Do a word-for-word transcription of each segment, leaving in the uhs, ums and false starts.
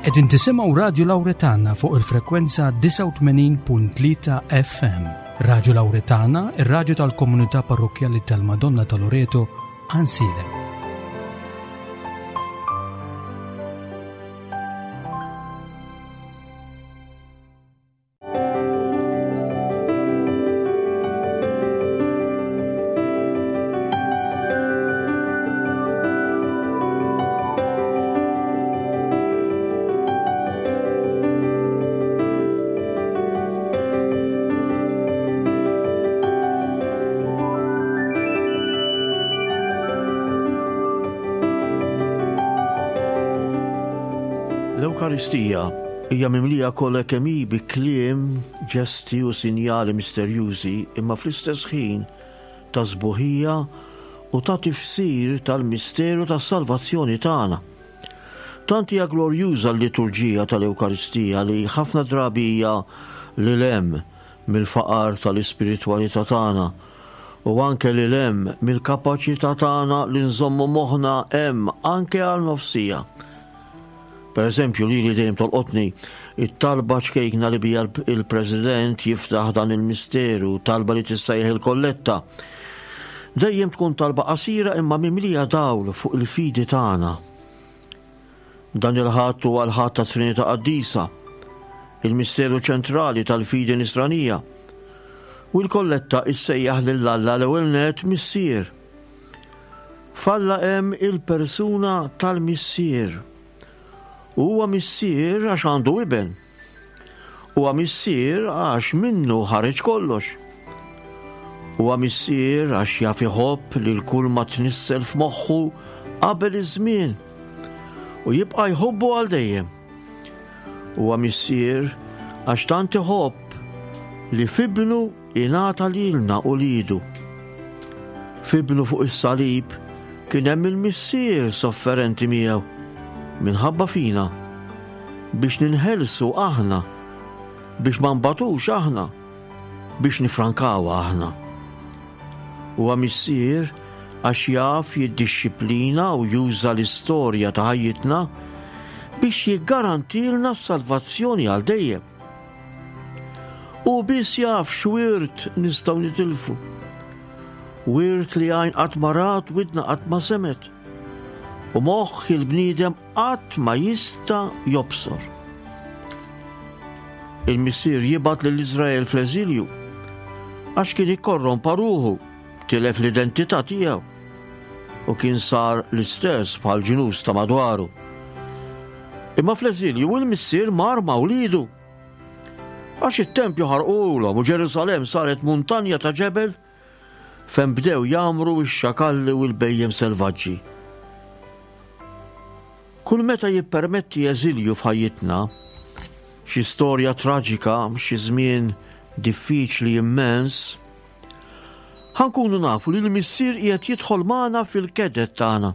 Qegħdin tisimgħu Radju Lawretana fuq il-frekwenza disgħa u tmenin punt tlieta F M. Radju Lawretana, ir-radju tal-Komunità Parrokkjali tal-Madonna ta' Loreto, Għajnsielem. L-Ewkaristija hija mimlija kollha kemm hi bi kliem, ġesti u sinjali misterjużi, imma fl-istess ħin ta' sbuħija u ta' tifsir tal-misteru tas-salvazzjoni tagħna. Tant hija glorjuża l-liturġija tal-Ewkaristija li ħafna drabi hija lil hemm mill-faqar tal-ispiritwalità tagħna u anke lil hemm mill-kapaċità tagħna li nżommu moħħna hemm anke għal nofs siegħa. Per eżempju, li li dejjem tolqotni it-talba ċkejkna li bija il-President jiftaħ dan il-misteru, talba li tissejjaħ il-kolletta. Dejjem tkun talba qasira imma mimlija dawl fuq il-fidi tagħna. Dan il-Ħadd huwa l-Ħadd ta' Trinità Qaddisa, il-misteru ċentrali tal-fidi nisranija. U l-kolletta issejjaħ lil Alla l-ewwel net Missier. F'Alla hemm il-persuna tal-Missier. Huwa missier għax għandu iben. Huwa missier għax minnu ħareġ kollox. Huwa missier għax jaf iħobb lil kull ma tnissel f'moħħu qabel iż-żmien u jibqa' jħobbu għal dejjem. Huwa missier għax tant iħobb li f'ibnu ingħata lilna u lidu. F'ibnu fuq is-salib kien hemm il-missier sofferenti miegħu minħabba fina, biex ninħelsu aħna, biex ma nbatux aħna, biex nifrankaw aħna. Huwa missier għax jaf jiddixxiplina u juża l-istorja ta' ħajjitna biex jiggarantilna s-salvazzjoni għal dejjem. U biss jaf x'wirt nistgħu nitilfu. Wirt li għajn qatt ma rat, widna qatt ma semgħet. U moħħ il-bniedem qatt ma jista' jobsor. Il-missier jibgħat lil Iżrael fl-eżilju għax kien ikkorrompa ruħu, tilef l-identità tiegħu u kien sar l-istess bħal ġnus ta' madwaru. Imma fl-eżilju il-missier mar ma' wlidu. Għax it-tempju ħarqulhom u Ġerusalem saret muntanja ta' ġebel fejn bdew jgħammru x-xakalli u l-bhejjem selvaġġi. Kull meta jippermetti eżilju f'ħajjitna, xi storja traġika, xi żmien diffiċli immens, ħa nkunu nafu li l-missier qiegħed jidħol magħna fil-keded tagħna.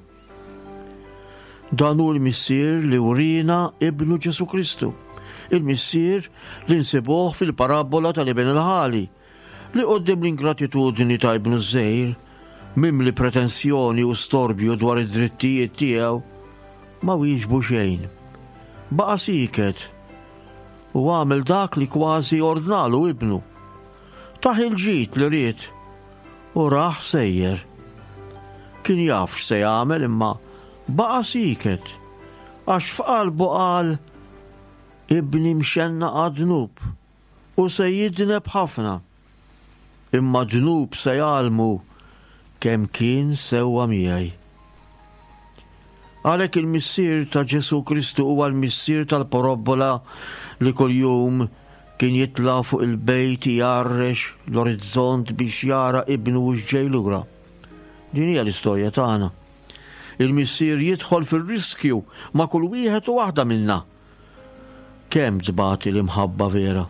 Dan hu l-missier li wrina ibnu Ġesu Kristu, il-missier li nsibuh fil-parabola tal-iben il-ħali, li quddiem l-ingratitudni ta' ibnu ż-żgħir, mimli pretensjoni u storbju dwar id-drittijiet tiegħu, ma wieġbu xejn. Baqa' sieket u għamel dak li kważi ordnalu ibnu. Tah il-ġid li ried u raħ sejjer. Kien jaf x'se jagħmel, imma baqa' sieket għax f'qalbu qal: "Ibni mxennaq għad-dnub u se jidneb ħafna. Imma dnub se jgħallmu kemm kien sewwa miegħi." Għalhekk il-missier ta' Ġesu Kristu huwa l-missier tal-parabbola li kuljum kien jitla' fuq il-bejt jgħarrex l-orizzont biex jara ibnu u ġej lura. Din hija l-istorja tagħna. Il-missier jidħol fir-riskju ma' kull wieħed u waħda minna. Kemm tbati l-imħabba vera?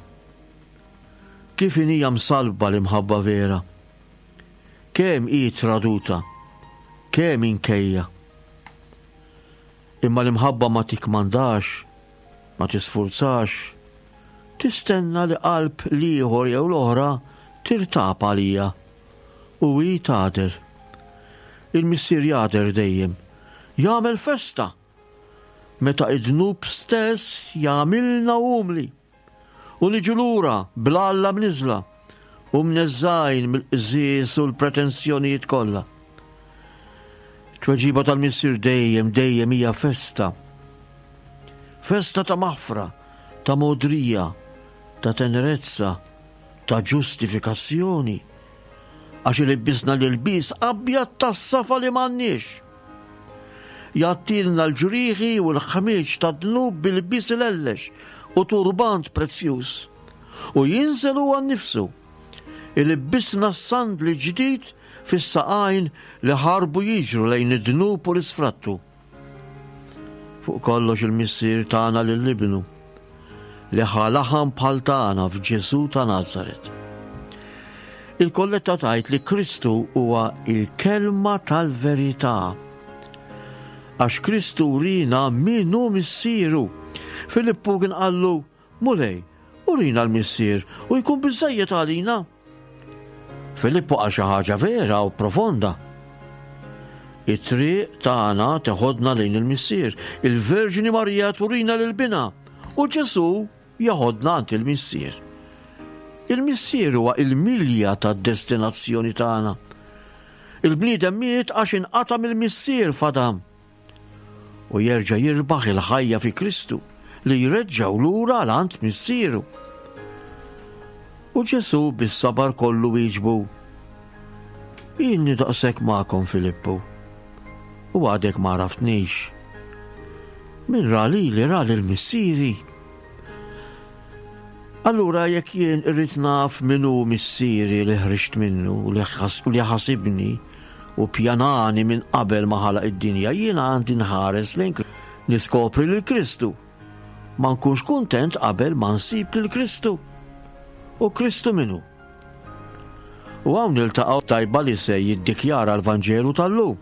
Kif hija msalba l-imħabba vera? Kemm hi traduta? Kemm inkejja? Imma l-imħabba ma tikkmandax, ma tisfurzax, tistenna li qalb l-ieħor jew l-oħra tirtab għalija u hi tagħder. Il-missier jagħder dejjem, jagħmel festa. meta id-dnub stess jagħmilna umli u niġu lura bl-Alla mniżla u mneżżgħin mill-qżież u l-pretensjonijiet kollha. Tweġiba tal-Missier dejjem dejjem hija festa. Festa ta' maħfra, ta' modrija, ta' tenerezza, ta' ġustifikazzjoni. Għax ilibbisna l-ilbies abjad tas-safa li m'għandniex. Jgħattilna l-ġrieħi u l-ħmieġ tad-dnub b'ilbies ilellex u turbant prezzjuż. U jinżel huwa nnifsu. Ilibbisna s-sandli ġdid fis-saqajn li ħarbu jiġru lejn id-dnub u l-isfrattu. Fuq kollox il-Missier tagħna lil Ibnu li ħa laħam bħal tagħna f'Ġesù ta' Nazaret. Il-kolletta tgħid li Kristu huwa il-kelma tal-verità. Għax Kristu wriena min hu missieru. Filippu kien qallu, Mulej, urina l-missier u jkun biżżejjed għalina. Filippu qal xi ħaġa vera u profonda. It-triq tagħna teħodna lejn il-Missier, il-Verġni Marija turina lil binha u Ġesù jeħodna għand il-Missier. Il-Missier huwa il-milja tad-destinazzjoni tagħna. Il-bniedem miet għax inqata' mill-Missier f'Adam. U jerġa' jirbaħ il-ħajja fi Kristu li jreġġgħu lura għal għand Missieru. U Ġesù bis-sabar kollu wieġbu, Ilni daqshekk magħkom Filippu, u għadek ma għaraftnix. Min ra lili ra lil Missieri. Allura jekk jien irrid naf min hu missieri li ħriġt minnu u li ħasibni u pjanani minn qabel ma ħalaq id-dinja, jiena għandi nħares lejn niskopri lil Kristu. Ma nkunx kuntent qabel ma nsib lil Kristu. U Kristu min hu? U hawn niltaqgħu tajba li se jiddikjara l-Vanġelu tal-lum.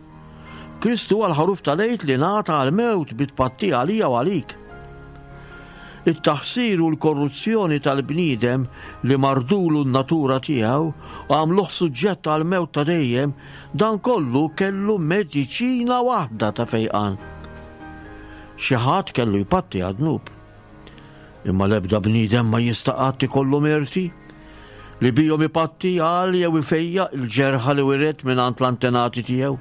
Kristu huwa l-ħaruf tal-Għid li ngħata għall-mewt bi tpattija għalija u għalik. It-taħsir u l-korruzzjoni tal-bniedem li mardulu n-natura tiegħu u għamluh suġġett għall-mewt ta' dejjem, dan kollu kellu mediċina waħda ta' fejqan. Xi ħadd kellu jpatti għad-dnub. Imma l-ebda bniedem ma jista' qatt ikollu merti li bihom ipatti għal jew ifejjaq il-ġerħa li wiret minn għand l-antenati tiegħu.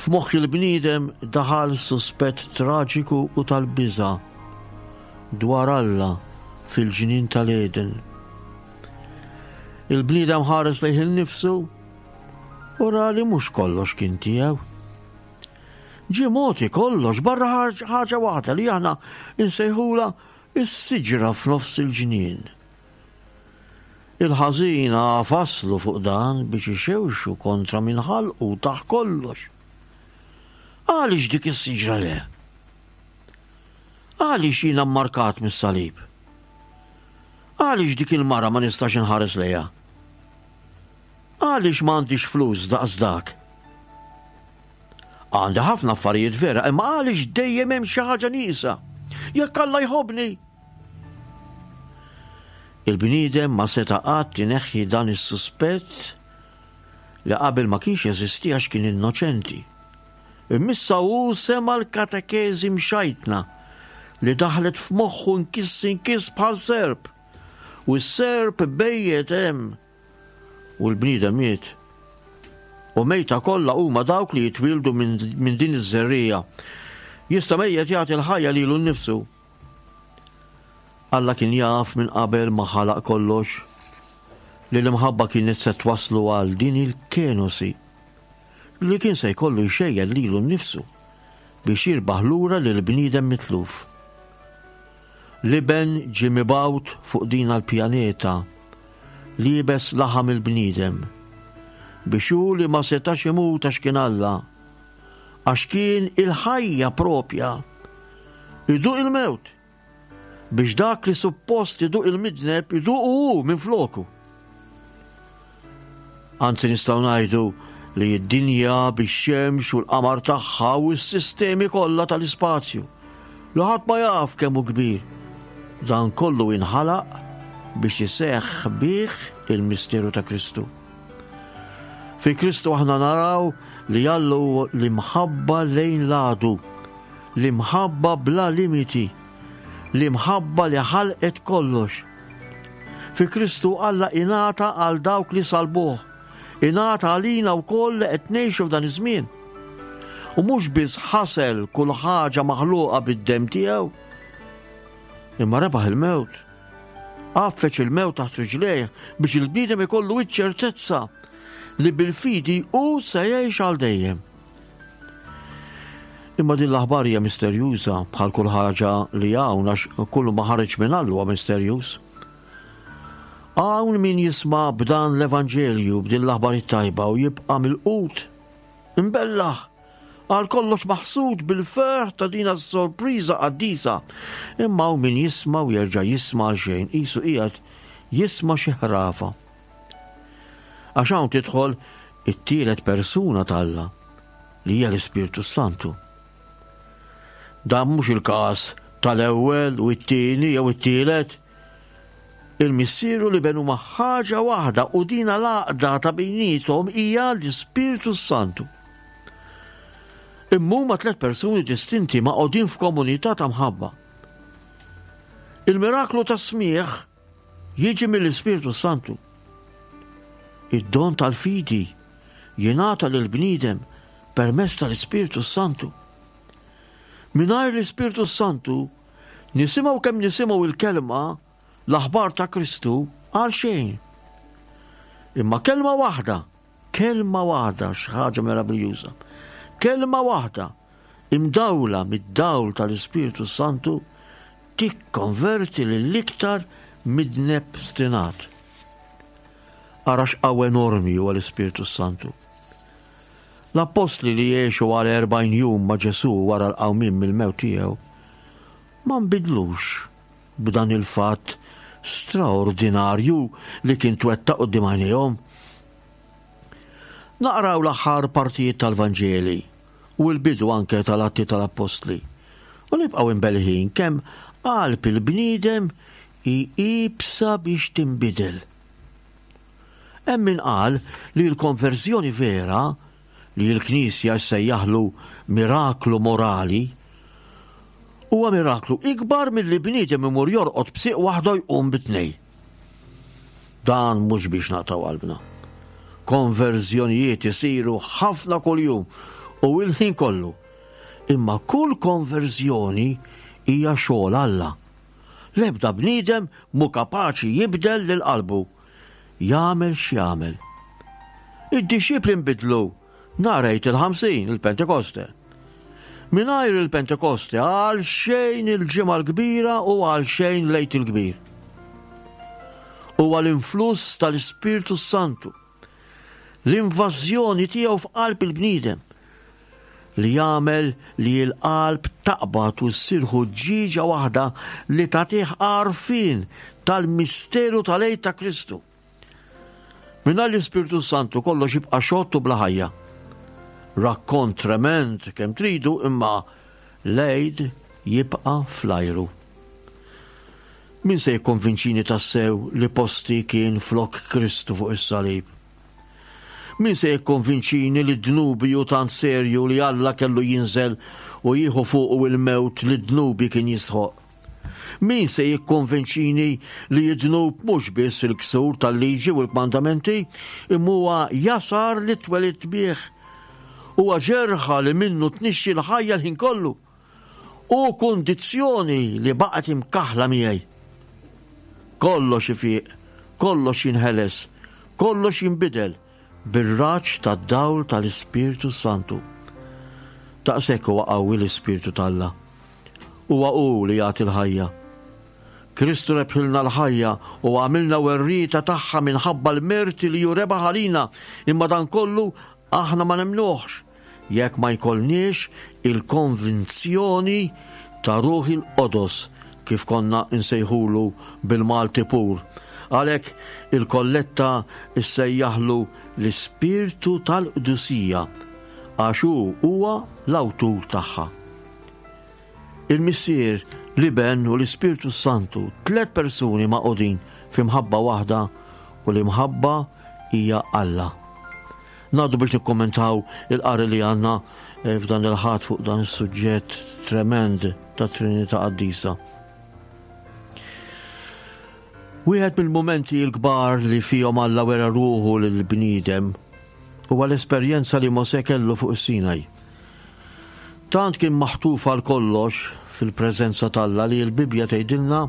F'moħħ il-bniedem daħal suspett traġiku u tal-biża' dwar Alla fil-ġnien tal-Eden. Il-bniedem ħares lejh innifsu u ra li mhux kollox kien tiegħu. Ġie mogħti kollox barra ħaġa waħda li aħna insejħula is-siġra f'nofs il-ġnien. Il-ħażin faslu fuq dan biex ixewxu kontra min ħalqu taħ kollox. Għaliex dik is-siġra le? Għaliex jiena mmarkat mis-salib? Għaliex dik il-mara ma nistax inħares lejha? Għaliex ma għandix flus daqs dak? Għandi ħafna affarijiet vera, imma għaliex dejjem hemm xi ħaġa nieqsa? Jekk Alla jħobbni. Il-bniedem ma seta' qatt ineħħi dan is-suspett li qabel ma kienx jeżisti għax kien innoċenti. Imma issa hu sema' l-katekeżi mxajtna li daħlet f'moħħu nkiss inkiss bħal serp. U s-serp bejjet hemm. U l-bniedem miet. U mejta kollha huma dawk li jitwieldu minn din iż-żerriegħa. Jista' mejjet jagħti l-ħajja lilu nnifsu. Alla kien jaf minn qabel ma ħalaq kollox li l-imħabba kienet se twaslu għal din il-kenosi li kien se jkollu jxejjen lilu nnifsu biex jirbaħ lura lil bniedem mitluf. L-iben ġie mibgħut fuq din l-pjaneta liebes laħam il-bniedem biex hu li ma setax imut għax kien Alla, għax kien il-ħajja propja, iduq il-mewt biex dak li suppost iduq il-midneb iduq hu minn floku. Anzi nistgħu ngħidu li d-dinja bix-xemx u l-qamar tagħha u s-sistemi kollha tal-ispazju li ħadd ma jaf kemm hu kbir. Dan kollu inħalaq biex iseħħ bih il-misteru ta' Kristu. Fi Kristu aħna naraw li Alla hu l-imħabba lejn l-għadu L-imħabba bla limiti, l-imħabba li ħalqet kollox. Fi Kristu Alla ingħata għal dawk li salbuh, ingħata għalina wkoll li qed ngħixu f'dan iż-żmien. U mhux biss ħasel kull ħaġa maħluqa bid-demm tiegħu, imma rebaħ il-mewt. Għaffeġ il-mewt taħt riġlejh biex il-bniedem ikollu iċ-ċertezza li bil-fidi hu se jgħix għal dejjem. Imma din l-aħbar hija misterjuża bħal kull ħaġa li hawn, għax kullu ma ħareġ minn Alla huwa misterjuż. Hawn min jisma' b'dan l-Evanġelju, b'din l-aħbar it-tajba u jibqa' milqut, imbellaħ, għal kollox maħsud bil-ferħ ta' din is-sorpriża qaddisa. Imma hawn min jisma' u jerġa' jisma' għal xejn, qisu qiegħed jisma' xi ħrafa. Għax hawn tidħol it-tielet persuna t'Alla, li hija l-Ispirtu Santu. Dan mhux il-każ tal-ewwel u t-tieni jew it-tielet. Il-Missier u l-Iben huma ħaġa waħda u dina l-għaqda ta' bejniethom hija l-Ispirtu Santu. Imma huma tliet persuni distinti magħqudin f'komunità ta' mħabba. Il-miraklu tas-smigħ jiġi mill-Ispirtu Santu. Id-don tal-fidi jingħata lill-bniedem permezz tal-Ispirtu Santu. Mingħajr l-Ispirtu Santu nisimgħu kemm nisimgħu il-kelma, l-aħbar ta' Kristu, għal xejn. Imma kelma waħda, kelma waħda, xi ħaġa meraviljuża. Kelma waħda imdawla mid-dawl tal-Ispirtu Santu tikkonverti lill-iktar midneb stinat. Ara x'qawwa enormi huwa l-Ispirtu Santu. L-appostli li jgħixu għal erbgħin jum ma' Ġesù wara l-qawmien mill-mewt tiegħu ma nbidlux b'dan il-fatt straordinarju li kien twettaq quddiem għajnejhom. Naqraw l-aħħar partijiet tal-Vanġeli u l-bidu anke tal-Atti tal-Appostli u nibqgħu imbelħin kemm qalb il-bniedem hi iebsa biex tinbidel. Hemm min qal li l-konverżjoni vera, li l-Knisja ssejjaħlu miraklu morali, huwa miraklu ikbar milli bniedem imur jorqod b'sieq waħda jqum bit-tnej. Dan mhux biex naqtaw qalbna. Konverżjonijiet isiru ħafna kuljum u il-ħin kollu. Imma kull konverżjoni hija xogħol Alla. L-ebda bniedem mhu kapaċi jibdel lil qalbu. Jagħmel x'jagħmel. Id-dixxipli nbidlu nhar Għid il-ħamsin, il-Pentekoste. Mingħajr il-Pentekoste għal xejn il-Ġimgħa l-Kbira u għal xejn l-Għid il-Kbir. Huwa l-influss tal-Ispirtu Santu, l-invażjoni tiegħu f'qalb il-bniedem li jagħmel li l-qalb taqbad u ssir ħuġġieġa waħda li tagħtih għarfien tal-misteru tal-Għid ta' Kristu. Mingħajr l-Ispirtu Santu kollox jibqa' xott u bla ħajja. Rakkont trement kemm tridu, imma l-Għid jibqa' fl-ajru. Min se jikkonvinċini tassew li posti kien flok Kristu fuq is-salib? Min se jikkonvinċini li dnubi hu tant serju li Alla kellu jinżel u jieħu fuqu il-mewt li dnubi kien jistħoq? Min se jikkonvinċini li d-dnub mhux biss il-ksur tal-liġi u l-kmandamenti, imma huwa jasar li twelidt bih? Huwa ġerħa li minnu tnixxi l-ħajja l-ħin kollu. U kundizzjoni li baqgħet imkaħla miegħi. Kollox ifiq, kollox jinħeles, kollox jinbidel bir-raġġ tad-dawl tal-Ispirtu Santu. Daqshekk huwa qawwi l-Ispirtu t'Alla. Huwa hu li jagħti l-ħajja. Kristu rebħilna l-ħajja u għamilna werrieta tagħha minħabba l-merti li hu rebaħ għalina, imma dan kollu aħna ma nemnuhx jekk ma jkollniex il-konvinzjoni ta' Ruħ il-Qodos, kif konna nsejħulu bil-Malti pur. Għalhekk il-kolletta ssejjaħlu l-Ispirtu tal-Qdusija, għax hu huwa l-awtur tagħha. Il-Missier, l-Iben u l-Ispirtu Santu, tliet persuni magħqudin fi mħabba waħda, u l-imħabba hija Alla. Ngħaddu biex nikkommentaw il-qari li għandna eh, f'dan il-Ħadd fuq dan is-suġġett tremend ta' Trinità Qaddisa. Wieħed mill-mumenti l-kbar li fihom Alla wera ruħu lill-bniedem huwa l-esperjenza li Mosè kellu fuq is-Sinaj. Tant kien maħtuf għal kollox fil-preżenza t'Alla li l-Bibbja tgħidilna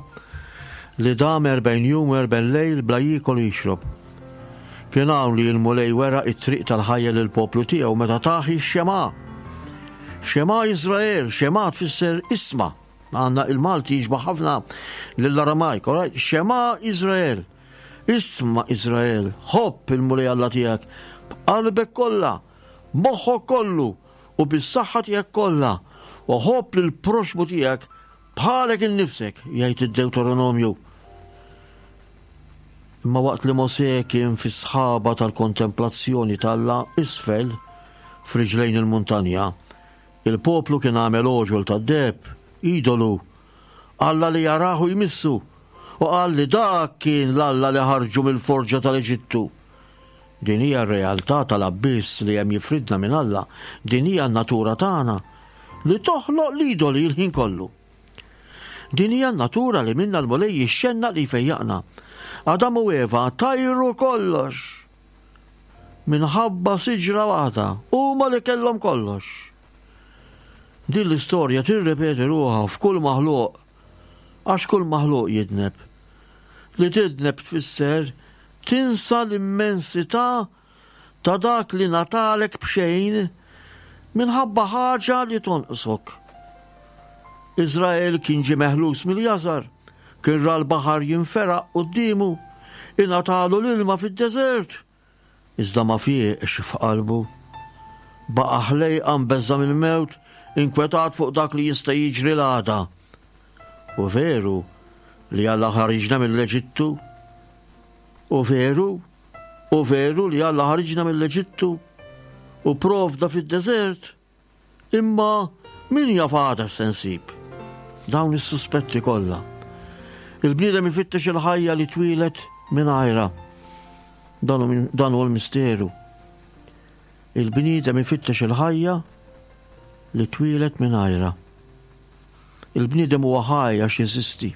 li dam erbgħin jum u erbgħin lejl bla jiekol u jixrob. Kien hawn li l-Mulej wera t-triq tal-ħajja lill-poplu tiegħu meta tah ix-Xema. Xema Iżrael, Xema tfisser isma'. Għandna il-Malti jixbaħ ħafna lill-Aramajk, all right? Xema Iżrael. Isma' Iżrael, ħobb il-Mulej Alla tiegħek b'qalbek kollha, b'moħħok kollu u bis-saħħa tiegħek kollha, u ħobb lill-proxxmu tiegħek bħalek innifsek, jgħid id-Dewteronomju. Imma waqt li Mosè kien fis-sħaba tal-kontemplazzjoni t'Alla isfel f'riġlejn il-muntanja, il-poplu kien għamel għoġol tad-deheb, idolu, Alla li jarah u jmissu, u qal li dak kien l-Alla li ħarġu mill-forġa tal-Eġittu. Din hija r-realtà tal-abbiss li hemm jifridna minn Alla, din hija n-natura tagħna li toħloq l-idoli l-ħin kollu. Din hija n-natura li minnha l-Mulej jixxennaq li jfejjaqna. Adam u Eva tajru kollox minħabba siġra waħda, huma li kellhom kollox. Din l-istorja tirrepeti ruħha f'kull maħluq, għax kull maħluq jidneb. Li tidneb tfisser tinsa l-immensità ta' dak li ngħatalek b'xejn minħabba ħaġa li tonqsok. Iżrael kien ġie meħlus mill-jasar, kien ra l-baħar jinferaq quddiemu, ingħatalu l-ilma fid-deżert, iżda ma fieqx f'qalbu. Baqa' ħlejqa mbeżża' mill-mewt, inkwetat fuq dak li jista' jiġri l-għada. U veru li Alla ħariġna mill-Eġittu? U veru, u veru li Alla ħariġna mill-Eġittu u provda fid-deżert? Imma min jaf għada x'se nsib? Dawn is-suspetti kollha. Il-bniedem ifittex il-ħajja li twieled mingħajrha. Dan hu l-misteru. Il-bniedem ifittex il-ħajja li twieled mingħajrha. Il-bniedem huwa ħaj għax jeżisti.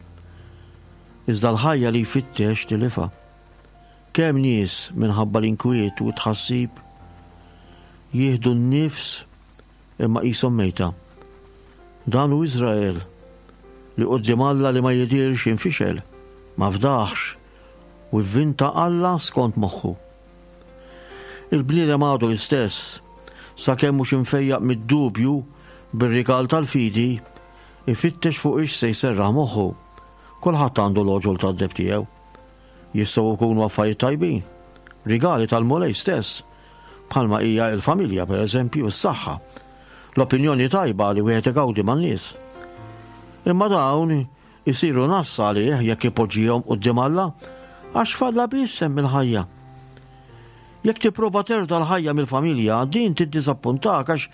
Iżda l-ħajja li jfittex tilifha. Kemm nies minħabba l-inkwiet u t-tħassib jieħdu n-nifs imma qishom mejta. Dan hu Iżrael li quddiem Alla li ma jidhirx infixel, ma fdaħx u vvinta Alla skont moħħu. Il-bniedem għadu l-istess, sakemm mhux imfejjaq mid-dubju bir-rigal tal-fidi, ifittex fuq ix se jserraħ moħħu. Kulħadd għandu l-għoġol tad-deheb tiegħu. Jistgħu jkunu affarijiet tajbin, rigali tal-Mulej stess, bħalma hija l-familja, per eżempju, s-saħħa, l-opinjoni tajba li wieħed igawdi man-nies. Imma dawn isiru nassa għalih jekk ipoġġihom quddiem Alla, għax falla biss hemm il-ħajja. Jekk tipprova terda l-ħajja mill-familja, din tiddiżappuntak għax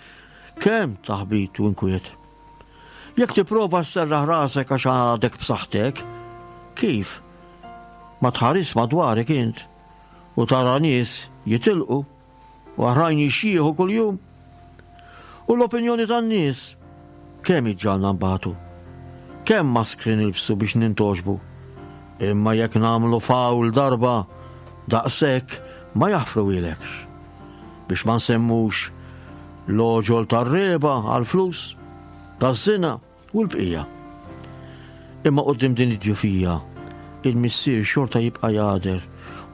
kemm taħbit u inkwiet. Jekk tipprova sserraħ rasek għax għadek b'saħħtek, kif? Ma tħares madwarek int u tara nies jitilqu u oħrajn jixjieħu kuljum. U l-opinjoni tan-nies kemm iġġagħalna nbatu. Kemm maskri nilbsu biex nintogħġbu. Imma jekk nagħmlu fawl darba daqshekk ma jaħfruhielekx. Biex ma nsemmux l-għoġol tar-regħba għall-flus, taż-żina u l-bqija. Imma quddiem din id-djufija, il-Missier xorta jibqa' jagħder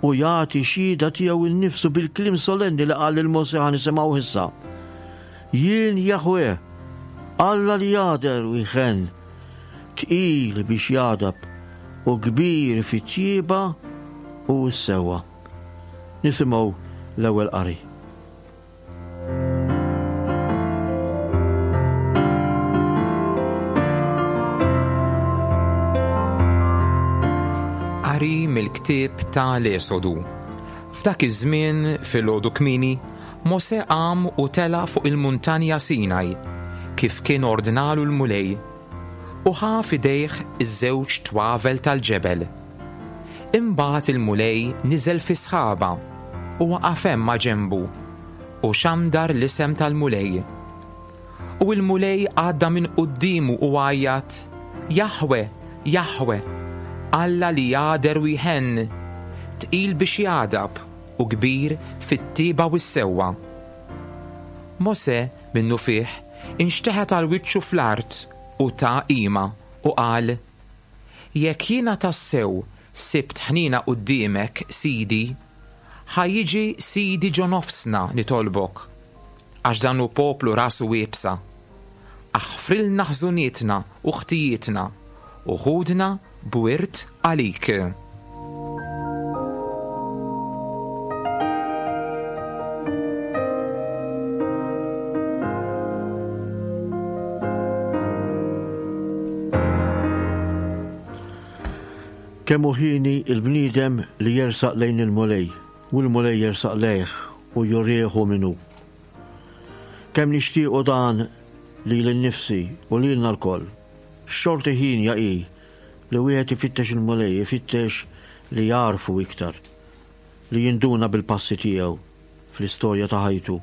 u jagħti xhieda tiegħu nnifsu bil-kliem solenni li qal lil Mosè ħa nisimgħuh issa. Jien Jaħweh, Alla li jagħder u jħenn, tqil biex jagħdab u kbir fit-tjieba u s-sewwa. Nisimgħu l-ewwel qari. Qari mill-ktieb ta' l-Esodu. F'dak iż-żmien filgħodu kmieni, Mosè qam u tela' fuq il-muntanja Sinaj, kif kien ordnalu l-Mulej, u ħa f'idejh iż-żewġ twavel tal-ġebel. Imbagħad il-Mulej niżel fi sħaba u waqaf hemm ma' ġenbu u xandar l-isem tal-Mulej. U l-Mulej għadda minn quddiemu u għajjat, Jaħwe, Jaħwe, Alla li jagħder u jħenn, tqil biex jagħdab u kbir fit-tiba u s-sewwa. Mosè minnufih inxteħet għal wiċċu fl-art u ta qima u qal, Jekk jiena tassew sibt ħniena quddiemek, Sidi, ħa jiġi Sidi ġo nofsna nitolbok, għax dan hu poplu rasu iebsa. Aħfrilna ħżunietna u ħtijietna u ħudna b'wirt għalik. Kemm hu ħieni il-bniedem li jersaq lejn il-Mulej, u l-Mulej jersaq lejh u jurih hu min hu. Kemm nixtiequ dan lili nnifsi u lilna lkoll. X'xorti ħienja hi li wieħed ifittex il-Mulej, ifittex li jagħrfu iktar, li jinduna bil-passi tiegħu fl-istorja ta' ħajtu,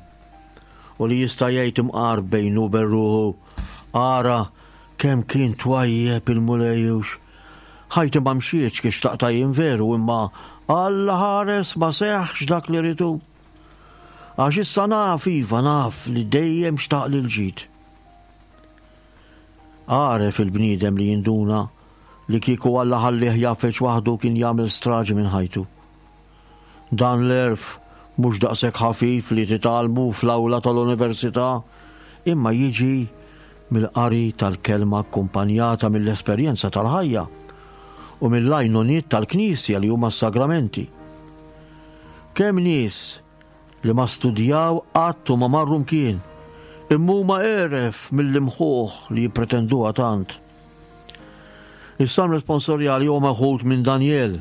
u li jista' jgħid imqar bejnu u bejn ruħu, ara kemm kien twajjeb il-Mulej hux. Ħajti ma mxietx kif xtaqtha jien veru, imma Alla ħares ma seħħx dak li ridu. Għax issa naf, iva naf li dejjem xtaq li l-ġid. Għaref il-bniedem li jinduna li kieku Alla ħallih jafeċ waħdu kien jagħmel straġi minn ħajtu. Dan l-għerf mhux daqshekk ħafif li titgħallmu fl-awla tal-università, imma jiġi mill-qari tal-kelma akkumpanjata mill-esperjenza tal-ħajja u mill-għajnuniet tal-Knisja li huma s-sagramenti. Kemm nies li ma studjaw qatt u ma marru mkien, imma huma għeref mill-imħuħ li jippretenduha tant. Is-salm responsorjali huwa meħud minn Daniel.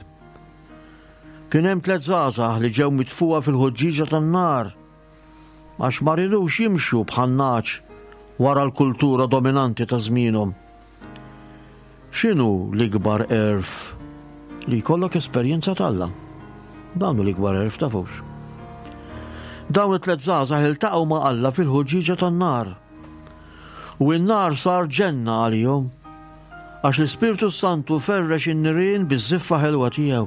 Kien hemm tliet żgħażagħ li ġew mitfuha fil-ħuġġieġa tan-nar għax ma ridux jimxu bħan-nagħaġ wara l-kultura dominanti ta' żmienhom. X'inhu l-ikbar għerf? Li jkollok esperjenza t'Alla. Dan hu l-ikbar għerf, tafux. Dawn it-tliet żgħażagħ iltaqgħu ma' Alla fil-ħuġġieġa tan-nar. U n-nar sar ġenna għalihom, għax l-Ispirtu Santu ferrex in-nirien biż-żiffa ħelwa tiegħu.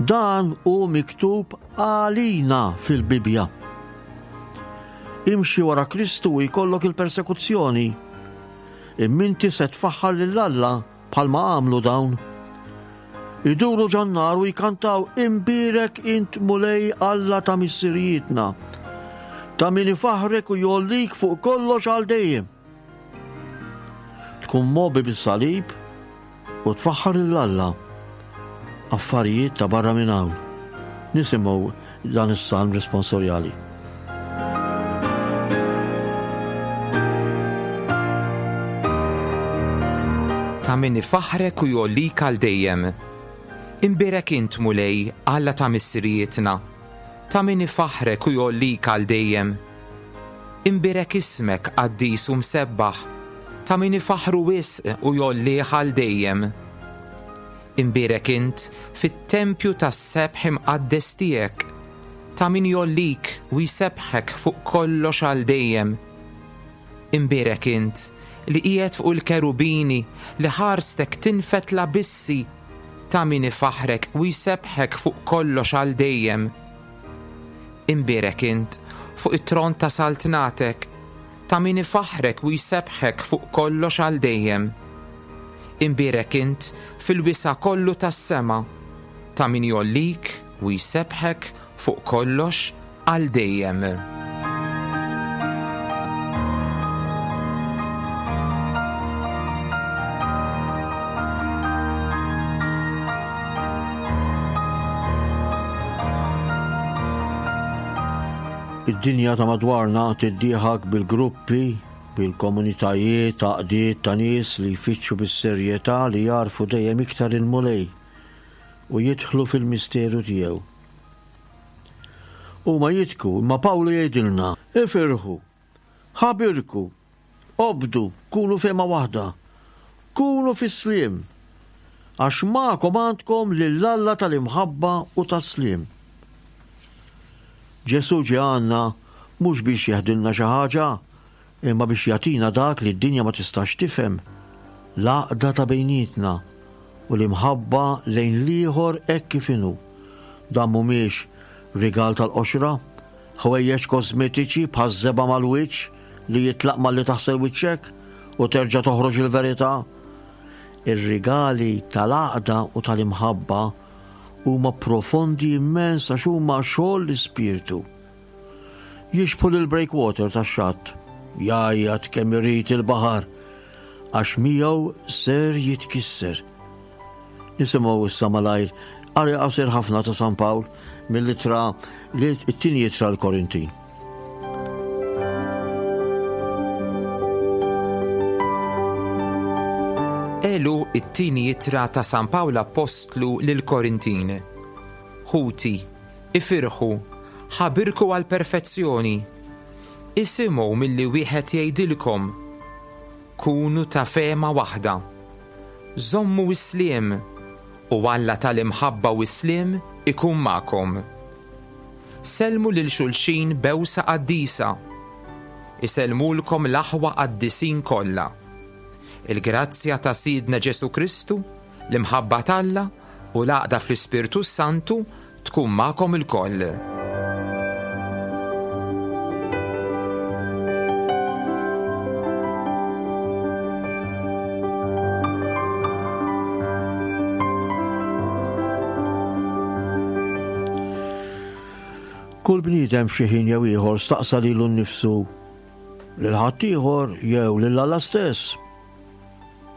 Dan hu miktub għalina fil-Bibbja. Imxi wara Kristu u jkollok il-persekuzzjoni, imma inti se tfaħħar lil Alla bħalma għamlu dawn. Iduru ġan-nar u jkantaw imbierek int Mulej Alla ta' missirijietna, ta' min ifaħrek u jgħollik fuq kollox għal dejjem. Tkun mobi bis-salib u tfaħħar lil Alla. Affarijiet ta' barra minn hawn. Nisimgħu dan is-salm responsorjali. Ta' min ifaħrek u jgħollik għal dejjem. Imbierek int Mulej, Alla ta' missirijietna, ta' min ifaħrek u jgħollik għal dejjem. Imbierek ismek qaddis u msebbaħ, ta' min ifaħru wisq u jgħollih għal dejjem. Imbierek int fit-tempju tas-sebħ imqaddes tiegħek, ta' min jgħollik u jsebbħek fuq kollox għal dejjem. Imbierek int li qiegħed fuq il-kerubini li ħarstek tinfet l-abissi, ta' min ifaħrek u jsebbħek fuq kollox għal dejjem. Imbierek int fuq it-tron ta' saltnatek, ta' min ifaħrek u jsebbħek fuq kollox għal dejjem. Imbierek int fil-wisa' kollu tas-sema, ta' min jgħollik u jsebbħek fuq kollox għal dejjem. Id-dinja ta' madwarna tiddieħak bil-gruppi, bil-komunitajiet, għaqdiet ta' nies li jfittxu bis-serjetà li jarfu dejjem iktar il-Mulej u jidħlu fil-misteru tiegħu. Huma jitku, imma Pawlu jgħidilna, ifirħu, ħabirku, obdu, kunu fehma waħda, kunu fis-sliem, għax magħkom għandkom lil Alla tal-imħabba u tas-sliem. Ġesu ġie għandna mhux biex jeħdilna xi ħaġa, imma biex jagħtina dak li d-dinja ma tistax tifhem, l-għaqda ta' bejnietna u l-imħabba lejn l-ieħor hekk kif inhu. Dan mhumiex rigal tal-qoxra, ħwejjeġ kosmetiċi bħaż-żebgħa mal-wiċċ li jitlaq malli taħsel wiċċek u terġa' toħroġ il-verità. Ir-rigali tal-għaqda u tal-imħabba huma profondi immens għax huma xogħol l-ispirtu. Jixbħu lil breakwater tax-xatt, jgħajjat kemm irid il-baħar għax miegħu ser jitkisser. Nisimgħu issa malajr qari qasir ħafna ta' San Pawl mill-ittra li t-tieni ittra l-Korintin. Elu it-tieni ittra ta' San Pawl Appostlu lill-Korintin. Ħuti, ifirħu, ħabirku għall-perfezzjoni. Isimgħu milli wieħed jgħidilkom. Kunu ta' fehma waħda. Żommu s-sliem, u Alla tal-imħabba u s-sliem ikun magħkom. Sellmu lil xulxin bewsa qaddisa. Isellmulkom l-aħwa qaddisin kollha. Il-grazzja ta' Sidna Ġesu Kristu, l-imħabba t'Alla u l-għaqda fl-Ispirtu Santu tkun magħkom ilkoll. Kull bniedem f'xi ħin jew ieħor staqsa lilu nnifsu, lil ħaddieħor jew lil Alla stess.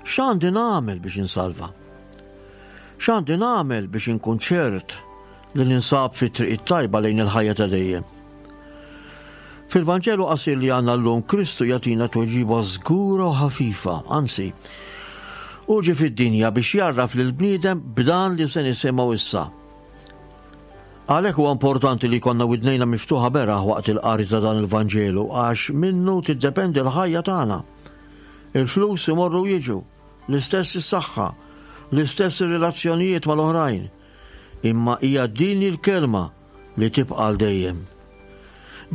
X'għandi nagħmel biex insalva? X'għandi nagħmel biex inkun ċert li ninsab fit-triq it-tajba lejn il-ħajja ta' dejjem? Fil-Vanġelu qasir li għandna llum, Kristu jagħtina tweġiba żgura u ħafifa, anzi, hu ġie fid-dinja biex jgħarraf lill-bniedem b'dan li se nisimgħu issa. Għalhekk huwa importanti li jkollna widnejna miftuħa beraħ waqt il-qari ta' dan il-Vanġelu, għax minnu tiddependi l-ħajja tagħna. Il-flus imorru jiġu, l-istess is-saħħa, l-istess ir-relazzjonijiet mal-oħrajn. Imma hija din il-kelma li tibqa' għal dejjem.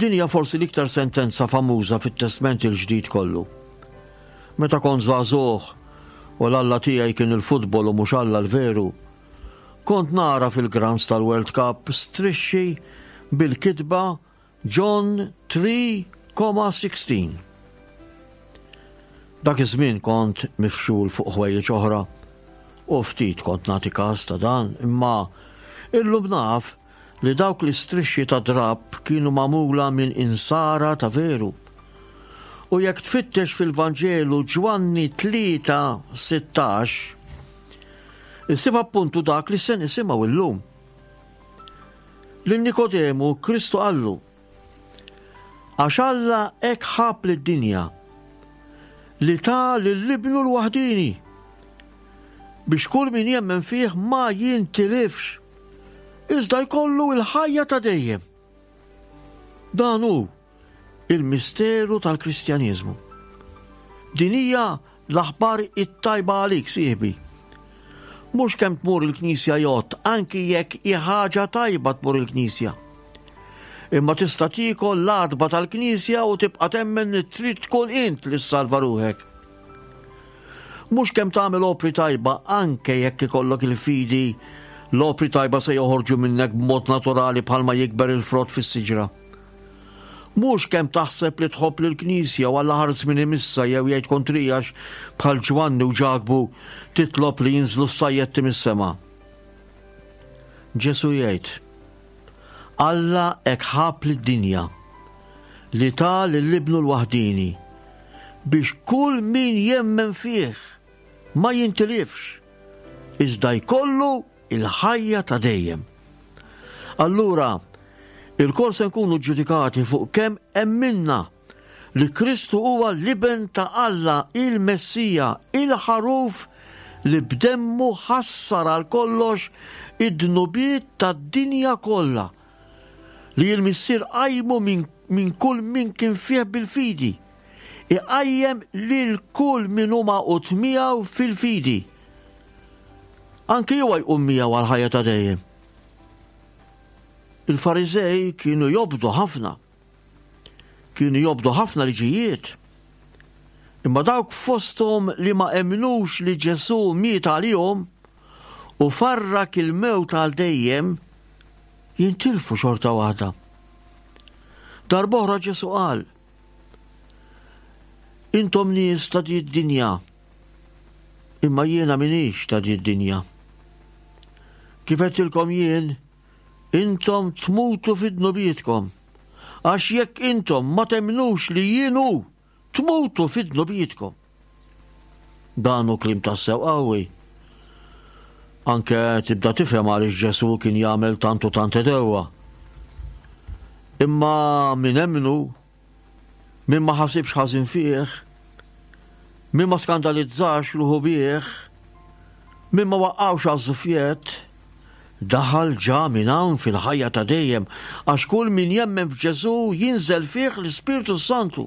Din hija forsi l-iktar sentenza famuża fit-Testment il-Ġdid kollu. Meta kont żagħżugħ u l-Alla tiegħi kien il-futbol u mhux Alla l-veru, kont nara fil-grounds tal-World Cup strixxi bil-kitba John three comma sixteen. Dak iż-żmien kont mifxul fuq ħwejjeġ oħra u ftit kont nagħti każ ta' dan, imma illum naf li dawk l-istrixxi ta' drapp kienu magħmula minn insara ta' veru. U jekk tfittex fil-Vanġelu Ġwanni tlieta sittax, issib appuntu dak li se nisimgħu illum. Lil Nikodemu Kristu qallu, għax Alla hekk ħab lid-dinja li ta lil ibnu l-waħdini biex kull min jemmen fih ma jintilifx, iżda jkollu l-ħajja ta' dejjem. Dan hu il-misteru tal-Kristjaniżmu. Din hija l-aħbar it-tajba għalik, sieħbi. Mhux kemm tmur il-Knisja jgħodd, anki jekk hi ħaġa tajba tmur il-Knisja. Imma tista' tiekol l-għatba tal-Knisja u tibqa' temmen li trid tkun int li ssalva ruħek. Mhux kemm tagħmel opri tajba, anke jekk ikollok il-fidi, l-opri tajba se joħorġu minnek b'mod naturali bħalma jikber il-frott fis-siġra. Mhux kemm taħseb li tħobb lill-Knisja u Alla ħares minn imissa jew jgħid kontrijax bħal Ġwanni u Ġakbu titlob li jinżlu s-sajjetti mis-sema. Ġesu jgħid, Alla hekk ħab lid-dinja li ta lil ibnu l-waħdini biex kull min jemmen fih ma jintilifx, iżda jkollu il-ħajja ta' dejjem. Allura, il-kol se nkunu ġudikati fuq kemm emminna li Kristu huwa l-Iben ta' Alla, il-Messija, il-ħaruf li b'demmu ħassar għal kollox id-dnubiet tad-dinja kollha, li l-Missier qajmu minn, minn kull min kien fih bil-fidi, iqajjem lil kull min hu magħqud miegħu fil-fidi. Anki huwa jqum miegħu għal ħajja ta' dejjem. Il-Fariżej kienu jobdu ħafna. Kienu jobdu ħafna liġijiet. Imma dawk fosthom li ma emnux li Ġesù miet għalihom u farrak il-mewt għal dejjem, jintilfu xorta waħda. Darb'oħra Ġesù qal: Intom nies ta' di d-dinja, imma jiena m'iniex ta' di d-dinja. Kif għedtilkom jien, intom tmutu fi dnubietkom, għax jekk intom ma temnux li jien hu, tmutu fi dnubietkom. Dan hu kliem tassew qawwi. Anke tibda tifhem għaliex Ġesù kien jagħmel tant u tant għedewwa. Imma min emmnu, min ma ħasibx ħażin fih, min ma skandalizzax ruħu bih, min ma waqqgħux għaż-żufjett, daħal ġa minn hawn fil-ħajja ta' dejjem, għax kull min jemmen f'Ġesù jinżel fih l-Ispirtu Santu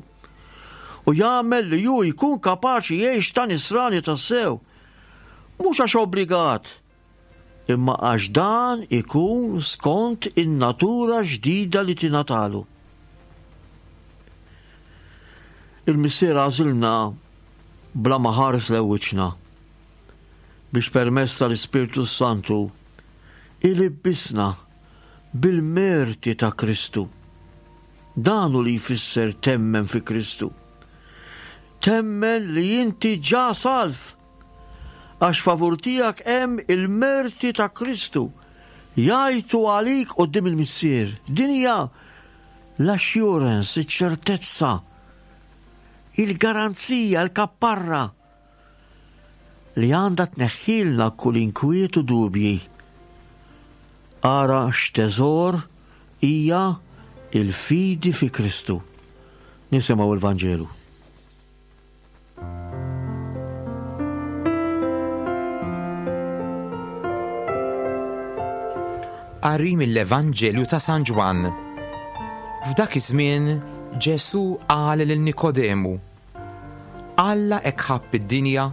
u jagħmel li hu jkun kapaċi jgħix ta' nisrani tassew. Mhux għax obbligat, imma għax dan ikun skont in-natura ġdida li tingħatalu. Il-Missier għażilna bla ma ħares lejn wiċċna biex permezz tal-Ispirtu Santu ilibbisna bil-merti ta' Kristu. Dan hu li jfisser temmen fi Kristu. Temmen li inti ġa salv, għax favur tiegħek hemm il-merti ta' Kristu jgħajtu għalik quddiem il-Missier. Din hija l-assurance, iċ-ċertezza, il-garanzija, il-kapparra li għandha tneħħilna kull inkwiet u dubji. Ara x'teżor hija il-fidi fi Kristu. Nisimgħu il-Vanġelu. Qari mill-Evanġelju ta' San Ġwann. F'dak iż-żmien Ġesù qal lil Nikodemu: Alla hekk ħabb id-dinja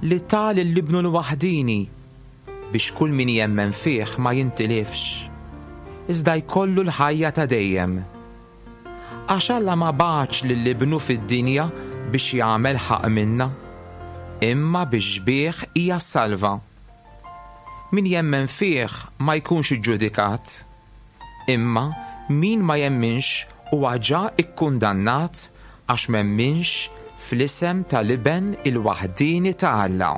li ta lil ibnu l-waħdini biex kull min jemmen fih ma jintilifx, iżda jkollu l-ħajja ta' dejjem. Għax Alla ma bagħatx lil ibnu fid-dinja biex jagħmel ħaqq minna, imma biex bih hija salva. Min jemmen fih ma jkunx iġġudikat, imma min ma jemminx huwa ġa ikkundannat għax m'emminx fl-isem tal-Iben il-waħdini ta' Alla.